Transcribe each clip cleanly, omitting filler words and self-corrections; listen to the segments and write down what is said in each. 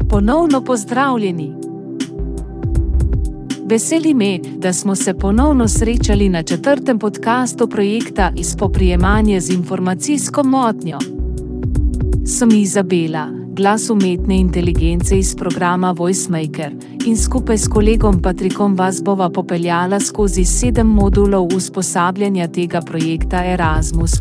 Ponovno pozdravljeni. Veseli me, da smo se ponovno srečali na 4. podcastu projekta Spoprijemanje z informacijsko motnjo. Sem Izabela, glas umetne inteligence iz programa VoiceMaker, in skupaj s kolegom Patrikom vas bova popeljala skozi 7 modulov usposabljanja tega projekta Erasmus+.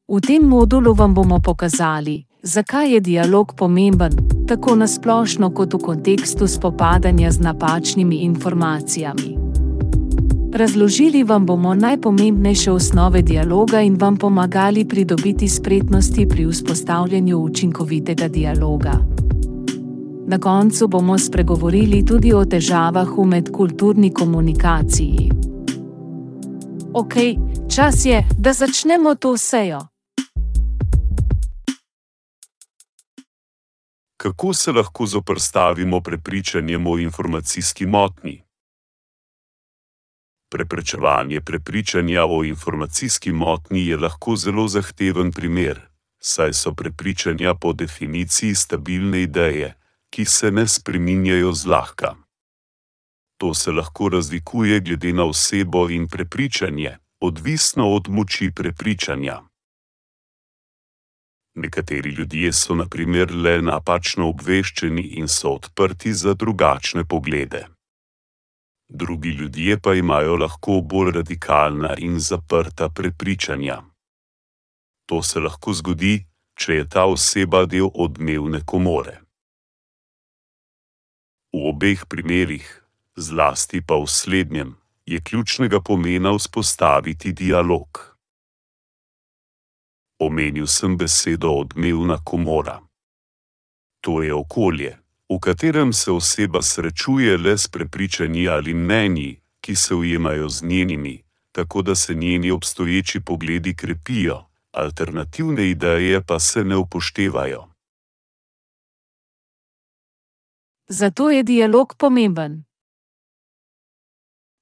V tem modulu vam bomo pokazali, zakaj je dialog pomemben, tako na splošno kot v kontekstu spopadanja z napačnimi informacijami. Razložili vam bomo najpomembnejše osnove dialoga in vam pomagali pridobiti spretnosti pri vzpostavljanju učinkovitega dialoga. Na koncu bomo spregovorili tudi o težavah v medkulturni komunikaciji. Ok, čas je, da začnemo to sejo. Kako se lahko zoperstavimo prepričanjem o informacijski motnji? Preprečevanje prepričanja o informacijski motnji je lahko zelo zahteven primer, saj so prepričanja po definiciji stabilne ideje, ki se ne spreminjajo zlahka. To se lahko razlikuje glede na osebo in prepričanje, odvisno od moči prepričanja. Nekateri ljudje so na primer le napačno obveščeni in so odprti za drugačne poglede. Drugi ljudje pa imajo lahko bolj radikalna in zaprta prepričanja. To se lahko zgodi, če je ta oseba del odmevne komore. V obeh primerih, zlasti pa v slednjem, je ključnega pomena vzpostaviti dialog. Omenil sem besedo odmevna komora. To je okolje, v katerem se oseba srečuje le s prepričanji ali mnenji, ki se ujemajo z njenimi, tako da se njeni obstoječi pogledi krepijo, alternativne ideje pa se ne upoštevajo. Zato je dialog pomemben.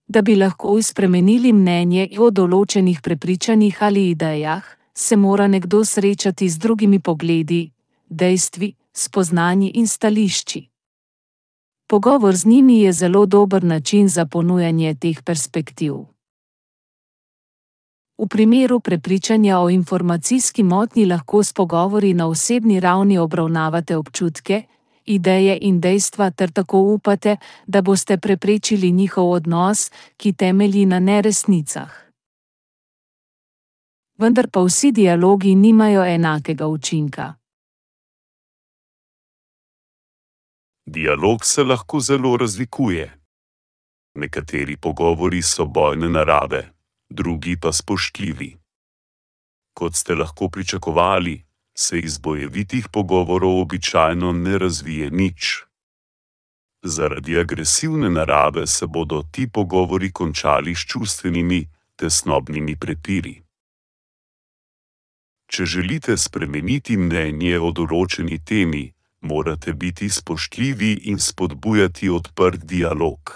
Da bi lahko spremenili mnenje o določenih prepričanjih ali idejah, se mora nekdo srečati z drugimi pogledi, dejstvi, spoznanji in stališči. Pogovor z njimi je zelo dober način za ponujanje teh perspektiv. V primeru prepričanja o informacijski motnji lahko s pogovori na osebni ravni obravnavate občutke, ideje in dejstva ter tako upate, da boste preprečili njihov odnos, ki temelji na neresnicah. Vendar pa vsi dialogi nimajo enakega učinka. Dialog se lahko zelo razlikuje. Nekateri pogovori so bojne narave, drugi pa spoštljivi. Kot ste lahko pričakovali, se iz bojevitih pogovorov običajno ne razvije nič. Zaradi agresivne narave se bodo ti pogovori končali s čustvenimi, tesnobnimi prepiri. Če želite spremeniti mnenje o določeni temi, morate biti spoštljivi in spodbujati odprt dialog.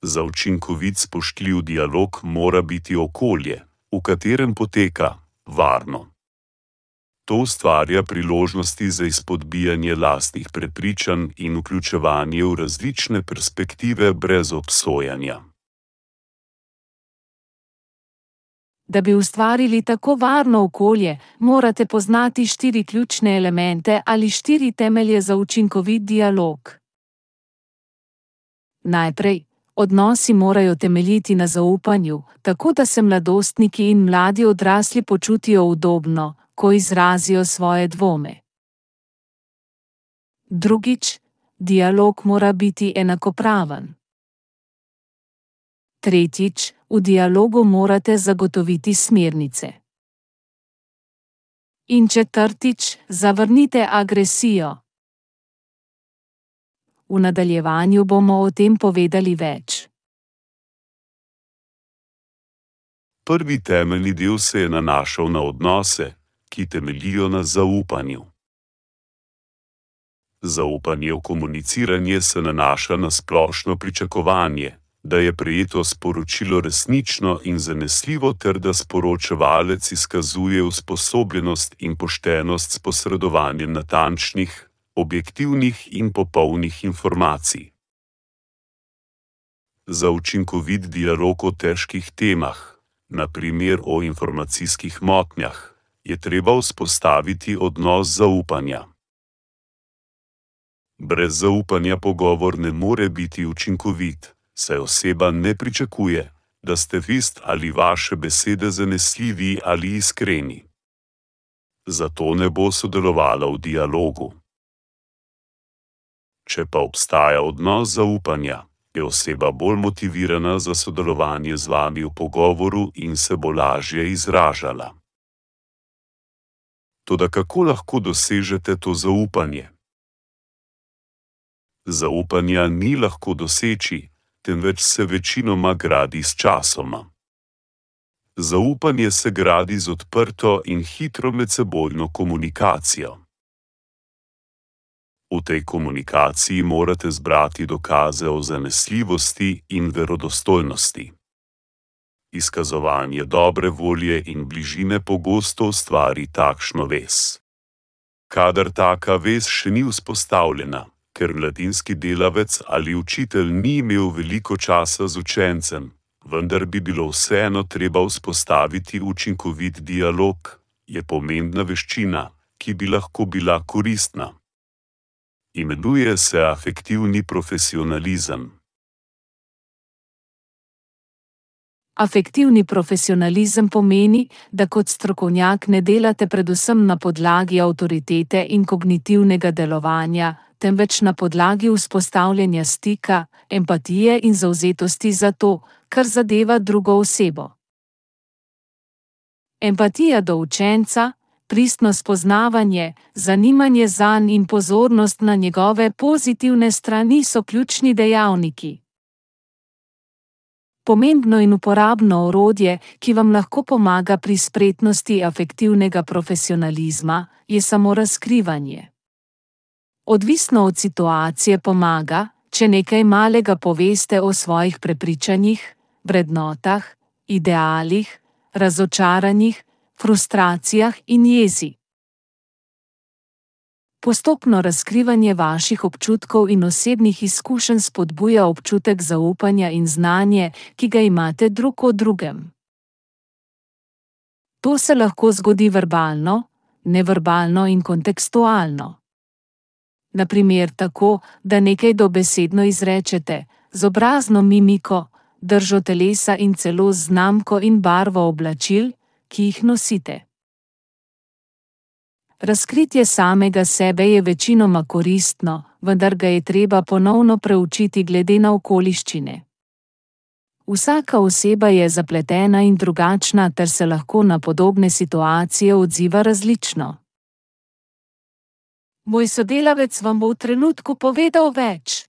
Za učinkovit spoštljiv dialog mora biti okolje, v katerem poteka, varno. To ustvarja priložnosti za izpodbijanje lastnih prepričanj in vključevanje v različne perspektive brez obsojanja. Da bi ustvarili tako varno okolje, morate poznati 4 ključne elemente ali 4 temelje za učinkovit dialog. Najprej, odnosi morajo temeljiti na zaupanju, tako da se mladostniki in mladi odrasli počutijo udobno, ko izrazijo svoje dvome. Drugič, dialog mora biti enakopraven. Tretjič, v dialogu morate zagotoviti smernice. In četrtič, zavrnite agresijo. V nadaljevanju bomo o tem povedali več. Prvi temeljni del se je nanašal na odnose, ki temeljijo na zaupanju. Zaupanje v komuniciranje se nanaša na splošno pričakovanje, da je prejeto sporočilo resnično in zanesljivo ter da sporočevalec izkazuje usposobljenost in poštenost s posredovanjem natančnih, objektivnih in popolnih informacij. Za učinkovit dialog o težkih temah, na primer o informacijskih motnjah, je treba vzpostaviti odnos zaupanja. Brez zaupanja pogovor ne more biti učinkovit, saj oseba ne pričakuje, da ste vest ali vaše besede zanesljivi ali iskreni. Zato ne bo sodelovala v dialogu. Če pa obstaja odnos zaupanja, je oseba bolj motivirana za sodelovanje z vami v pogovoru in se bo lažje izražala. Toda kako lahko dosežete to zaupanje? Zaupanja ni lahko doseči, temveč se večinoma gradi s časoma. Zaupanje se gradi z odprto in hitro medsebojno komunikacijo. V tej komunikaciji morate zbrati dokaze o zanesljivosti in verodostojnosti. Izkazovanje dobre volje in bližine pogosto ustvari takšno vez. Kadar taka vez še ni vzpostavljena, ker mladinski delavec ali učitelj ni imel veliko časa z učencem, vendar bi bilo vseeno treba vzpostaviti učinkovit dialog, je pomembna veščina, ki bi lahko bila koristna. Imenuje se afektivni profesionalizem. Afektivni profesionalizem pomeni, da kot strokovnjak ne delate predvsem na podlagi avtoritete in kognitivnega delovanja, temveč na podlagi vzpostavljanja stika, empatije in zavzetosti za to, kar zadeva drugo osebo. Empatija do učenca, pristno spoznavanje, zanimanje zanj in pozornost na njegove pozitivne strani so ključni dejavniki. Pomembno in uporabno orodje, ki vam lahko pomaga pri spretnosti afektivnega profesionalizma, je samorazkrivanje. Odvisno od situacije pomaga, če nekaj malega poveste o svojih prepričanjih, vrednotah, idealih, razočaranjih, frustracijah in jezi. Postopno razkrivanje vaših občutkov in osebnih izkušenj spodbuja občutek zaupanja in znanje, ki ga imate drug o drugem. To se lahko zgodi verbalno, neverbalno in kontekstualno. Na primer tako, da nekaj dobesedno izrečete, z obrazno mimiko, držo telesa in celo z znamko in barvo oblačil, ki jih nosite. Razkritje samega sebe je večinoma koristno, vendar ga je treba ponovno preučiti glede na okoliščine. Vsaka oseba je zapletena in drugačna ter se lahko na podobne situacije odziva različno. Moj sodelavec vam bo v trenutku povedal več.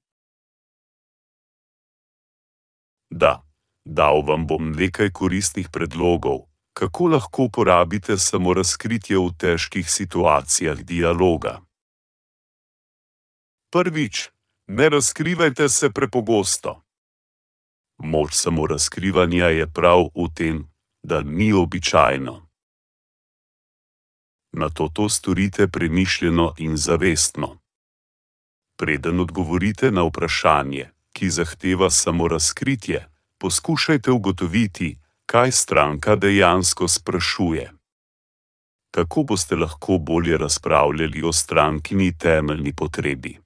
Da, dal vam bom nekaj koristnih predlogov, kako lahko uporabite samorazkritje v težkih situacijah dialoga. Prvič, ne razkrivajte se prepogosto. Moč samorazkrivanja je prav v tem, da ni običajno. Nato to storite premišljeno in zavestno. Preden odgovorite na vprašanje, ki zahteva samorazkritje, poskušajte ugotoviti, kaj stranka dejansko sprašuje. Tako boste lahko bolje razpravljali o strankini temeljni potrebi.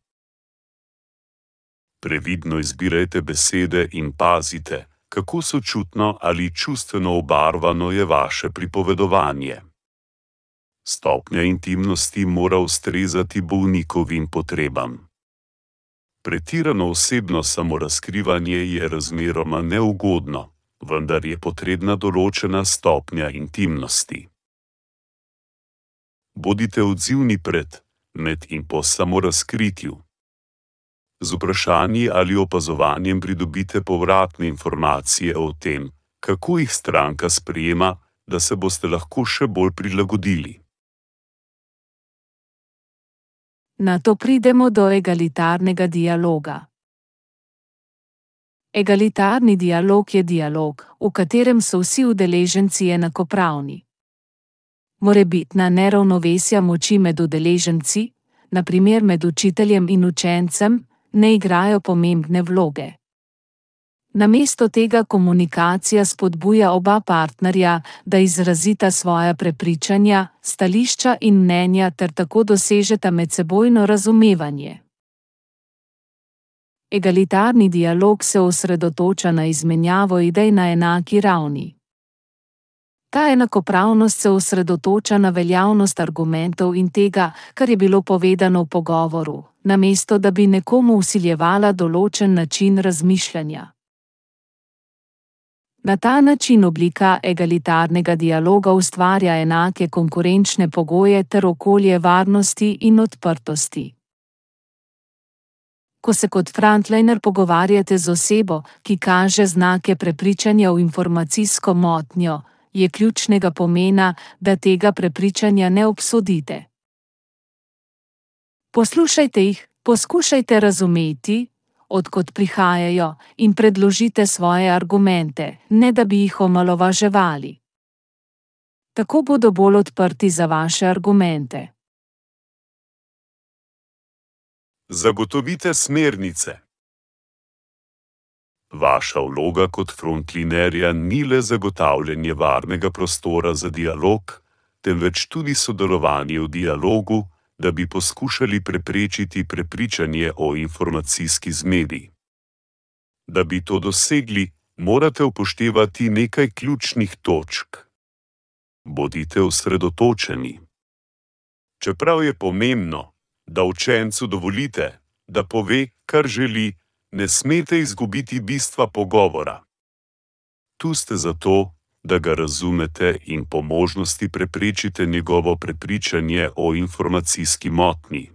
Previdno izbirajte besede in pazite, kako sočutno ali čustveno obarvano je vaše pripovedovanje. Stopnja intimnosti mora ustrezati bolnikovim potrebam. Pretirano osebno samorazkrivanje je razmeroma neugodno, vendar je potrebna določena stopnja intimnosti. Bodite odzivni pred, med in po samorazkritju. Z vprašanji ali opazovanjem pridobite povratne informacije o tem, kako jih stranka sprejema, da se boste lahko še bolj prilagodili. Nato pridemo do egalitarnega dialoga. Egalitarni dialog je dialog, v katerem so vsi udeleženci enakopravni. Morebitna neravnovesja moči med udeleženci, na primer med učiteljem in učencem, ne igrajo pomembne vloge. Namesto tega komunikacija spodbuja oba partnerja, da izrazita svoja prepričanja, stališča in mnenja ter tako dosežeta medsebojno razumevanje. Egalitarni dialog se osredotoča na izmenjavo idej na enaki ravni. Ta enakopravnost se osredotoča na veljavnost argumentov in tega, kar je bilo povedano v pogovoru, namesto da bi nekomu vsiljevala določen način razmišljanja. Na ta način oblika egalitarnega dialoga ustvarja enake konkurenčne pogoje ter okolje varnosti in odprtosti. Ko se kot frontliner pogovarjate z osebo, ki kaže znake prepričanja v informacijsko motnjo, je ključnega pomena, da tega prepričanja ne obsodite. Poslušajte jih, poskušajte razumeti, od kod prihajajo, in predložite svoje argumente, ne da bi jih omalovaževali. Tako bodo bolj odprti za vaše argumente. Zagotovite smernice. Vaša vloga kot frontlinerja ni le zagotavljanje varnega prostora za dialog, temveč tudi sodelovanje v dialogu, da bi poskušali preprečiti prepričanje o informacijski zmedi. Da bi to dosegli, morate upoštevati nekaj ključnih točk. Bodite osredotočeni. Čeprav je pomembno, da učencu dovolite, da pove, kar želi, ne smete izgubiti bistva pogovora. Tu ste zato, da ga razumete in po možnosti preprečite njegovo prepričanje o informacijski motnji.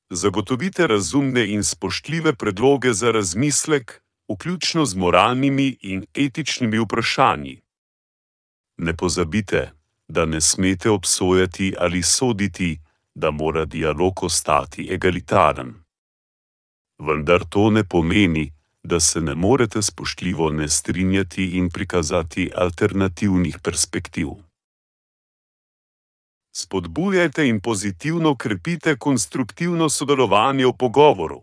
Zagotovite razumne in spoštljive predloge za razmislek, vključno z moralnimi in etičnimi vprašanji. Ne pozabite, da ne smete obsojati ali soditi, da mora dialog ostati egalitaren. Vendar to ne pomeni, da se ne morete spoštljivo ne strinjati in prikazati alternativnih perspektiv. Spodbujajte in pozitivno krepite konstruktivno sodelovanje v pogovoru.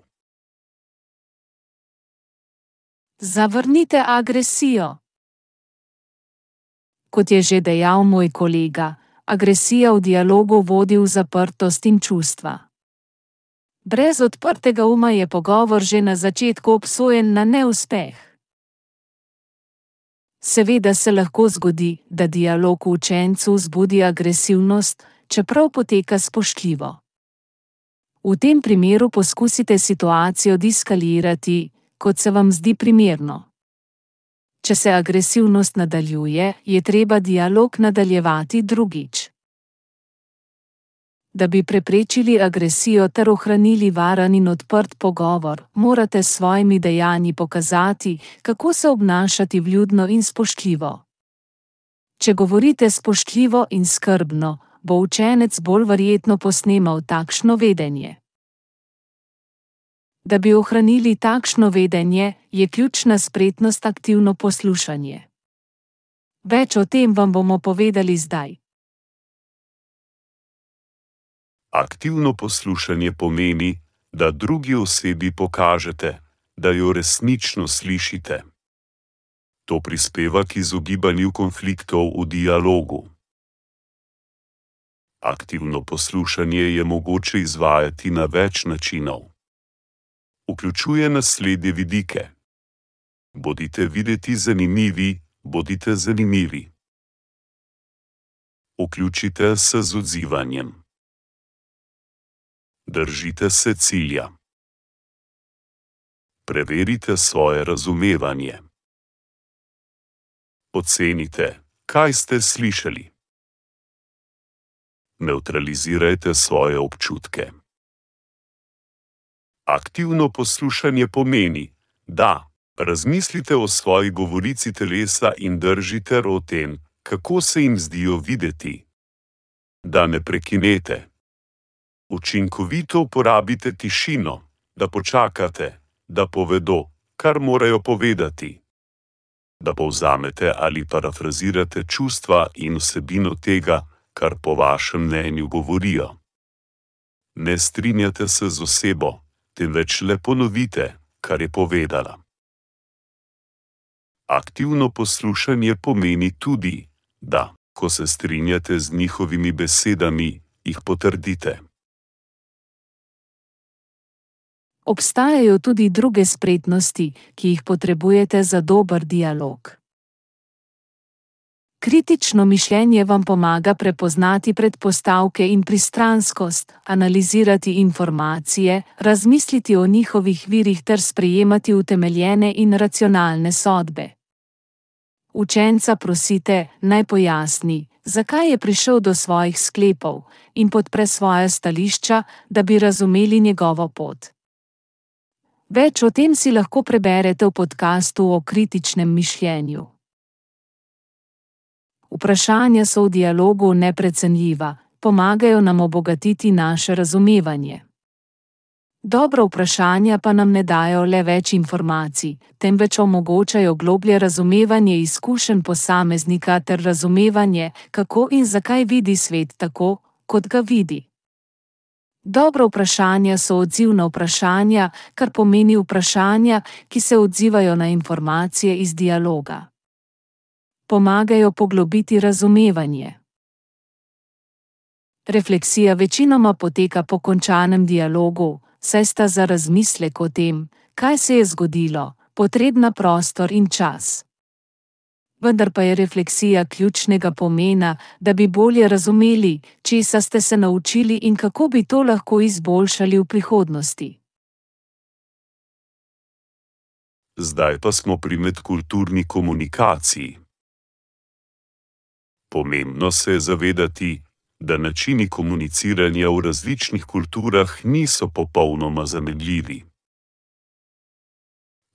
Zavrnite agresijo. Kot je že dejal moj kolega, agresija v dialogu vodi v zaprtost in čustva. Brez odprtega uma je pogovor že na začetku obsojen na neuspeh. Seveda se lahko zgodi, da dialog v učencu vzbudi agresivnost, čeprav poteka spoštljivo. V tem primeru poskusite situacijo deskalirati, kot se vam zdi primerno. Če se agresivnost nadaljuje, je treba dialog nadaljevati drugič. Da bi preprečili agresijo ter ohranili varen in odprt pogovor, morate s svojimi dejanji pokazati, kako se obnašati vljudno in spoštljivo. Če govorite spoštljivo in skrbno, bo učenec bolj verjetno posnemal takšno vedenje. Da bi ohranili takšno vedenje, je ključna spretnost aktivno poslušanje. Več o tem vam bomo povedali zdaj. Aktivno poslušanje pomeni, da drugi osebi pokažete, da jo resnično slišite. To prispeva k izogibanju konfliktov v dialogu. Aktivno poslušanje je mogoče izvajati na več načinov. Vključuje naslednje vidike. Bodite videti zanimivi, bodite zanimivi. Vključite se z odzivanjem. Držite se cilja. Preverite svoje razumevanje. Ocenite, kaj ste slišali. Nevtralizirajte svoje občutke. Aktivno poslušanje pomeni, da razmislite o svoji govorici telesa in držite o tem, kako se jim zdijo videti. Da ne prekinete. Učinkovito uporabite tišino, da počakate, da povedo, kar morajo povedati. Da povzamete ali parafrazirate čustva in vsebino tega, kar po vašem mnenju govorijo. Ne strinjate se z osebo, temveč le ponovite, kar je povedala. Aktivno poslušanje pomeni tudi, da, ko se strinjate z njihovimi besedami, jih potrdite. Obstajajo tudi druge spretnosti, ki jih potrebujete za dober dialog. Kritično mišljenje vam pomaga prepoznati predpostavke in pristranskost, analizirati informacije, razmisliti o njihovih virih ter sprejemati utemeljene in racionalne sodbe. Učenca prosite, naj pojasni, zakaj je prišel do svojih sklepov, in podpre svoja stališča, da bi razumeli njegovo pot. Več o tem si lahko preberete v podkastu o kritičnem mišljenju. Vprašanja so v dialogu neprecenljiva, pomagajo nam obogatiti naše razumevanje. Dobra vprašanja pa nam ne dajo le več informacij, temveč omogočajo globlje razumevanje izkušenj posameznika ter razumevanje, kako in zakaj vidi svet tako, kot ga vidi. Dobra vprašanja so odzivna vprašanja, kar pomeni vprašanja, ki se odzivajo na informacije iz dialoga. Pomagajo poglobiti razumevanje. Refleksija večinoma poteka po končanem dialogu, saj sta za razmislek o tem, kaj se je zgodilo, potrebna prostor in čas. Vendar pa je refleksija ključnega pomena, da bi bolje razumeli, česa ste se naučili in kako bi to lahko izboljšali v prihodnosti. Zdaj pa smo pri medkulturni komunikaciji. Pomembno se je zavedati, da načini komuniciranja v različnih kulturah niso popolnoma zamenljivi.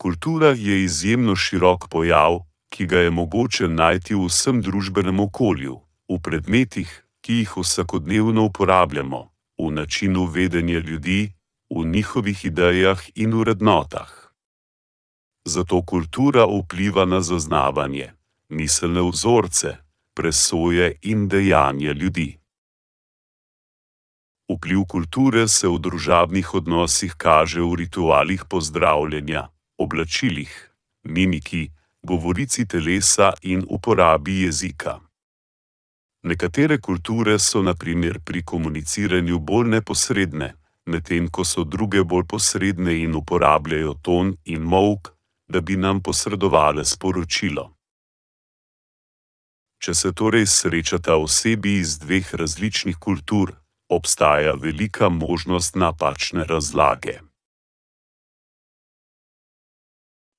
Kultura je izjemno širok pojav, ki ga je mogoče najti v vsem družbenem okolju, v predmetih, ki jih vsakodnevno uporabljamo, v načinu vedenja ljudi, v njihovih idejah in vrednotah. Zato kultura vpliva na zaznavanje, miselne vzorce, presoje in dejanja ljudi. Vpliv kulture se v družabnih odnosih kaže v ritualih pozdravljanja, oblačilih, mimiki, govorici telesa in uporabi jezika. Nekatere kulture so na primer pri komuniciranju bolj neposredne, medtem ko so druge bolj posredne in uporabljajo ton in molk, da bi nam posredovale sporočilo. Če se torej srečata osebi iz dveh različnih kultur, obstaja velika možnost napačne razlage.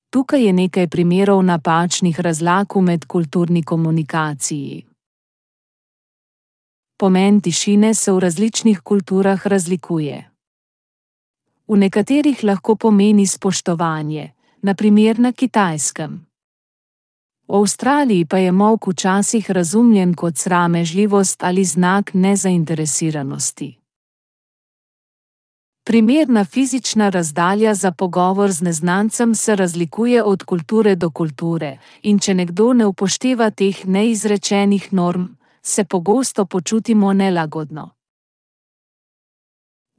Tukaj je nekaj primerov napačnih razlag v medkulturni komunikaciji. Pomen tišine se v različnih kulturah razlikuje. V nekaterih lahko pomeni spoštovanje, na primer na Kitajskem. V Avstraliji pa je molk včasih razumljen kot sramežljivost ali znak nezainteresiranosti. Primerna fizična razdalja za pogovor z neznancem se razlikuje od kulture do kulture, in če nekdo ne upošteva teh neizrečenih norm, se pogosto počutimo nelagodno.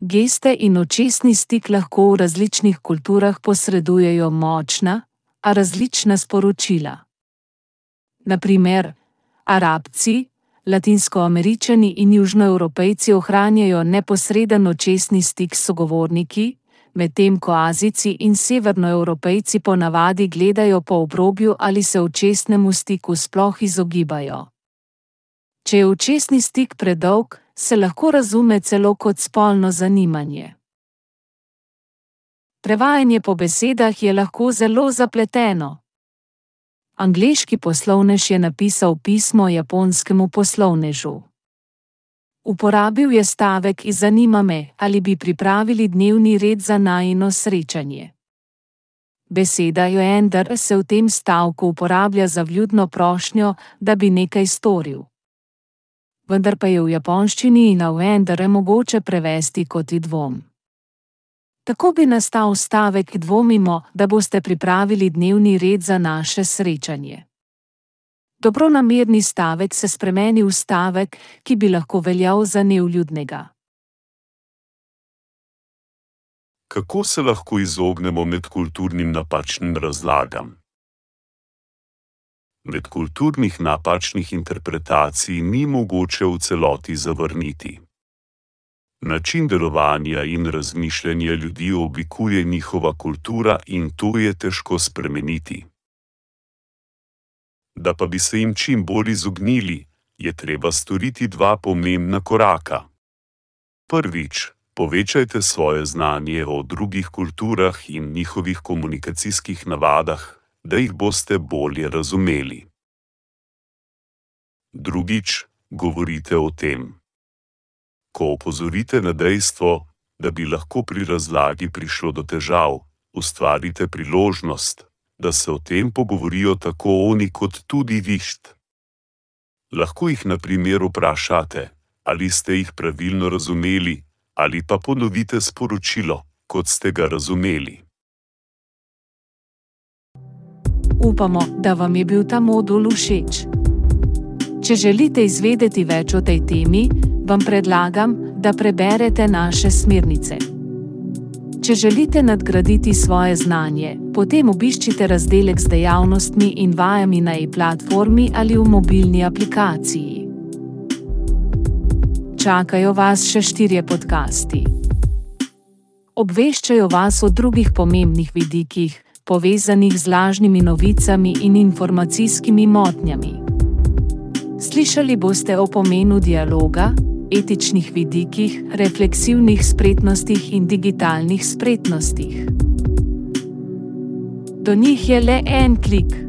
Geste in očesni stik lahko v različnih kulturah posredujejo močna, a različna sporočila. Na primer, Arabci, Latinskoameričani in Južnoevropejci ohranjajo neposreden očesni stik s sogovorniki, medtem ko Azijci in Severnoevropejci ponavadi gledajo po obrobju ali se očesnemu stiku sploh izogibajo. Če je očesni stik predolg, se lahko razume celo kot spolno zanimanje. Prevajanje po besedah je lahko zelo zapleteno. Angleški poslovnež je napisal pismo japonskemu poslovnežu. Uporabil je stavek iz zanima me, ali bi pripravili dnevni red za najino srečanje. Beseda joender se v tem stavku uporablja za vljudno prošnjo, da bi nekaj storil. Vendar pa je v japonščini in joender mogoče prevesti kot dvom. Tako bi nastal stavek dvomimo, da boste pripravili dnevni red za naše srečanje. Dobronamerni stavek se spremeni v stavek, ki bi lahko veljal za nevljudnega. Kako se lahko izognemo medkulturnim napačnim razlagam? Medkulturnih napačnih interpretacij ni mogoče v celoti zavrniti. Način delovanja in razmišljanja ljudi oblikuje njihova kultura in to je težko spremeniti. Da pa bi se jim čim bolj izognili, je treba storiti dva pomembna koraka. Prvič, povečajte svoje znanje o drugih kulturah in njihovih komunikacijskih navadah, da jih boste bolje razumeli. Drugič, govorite o tem. Ko opozorite na dejstvo, da bi lahko pri razlagi prišlo do težav, ustvarite priložnost, da se o tem pogovorijo tako oni kot tudi vi. Lahko jih na primer vprašate, ali ste jih pravilno razumeli, ali pa ponovite sporočilo, kot ste ga razumeli. Upamo, da vam je bil ta modul všeč. Če želite izvedeti več o tej temi, vam predlagam, da preberete naše smernice. Če želite nadgraditi svoje znanje, potem obiščite razdelek z dejavnostmi in vajami na e-platformi ali v mobilni aplikaciji. Čakajo vas še 4 podcasti. Obveščajo vas o drugih pomembnih vidikih, povezanih z lažnimi novicami in informacijskimi motnjami. Slišali boste o pomenu dialoga, etičnih vidikih, refleksivnih spretnostih in digitalnih spretnostih. Do njih je le en klik.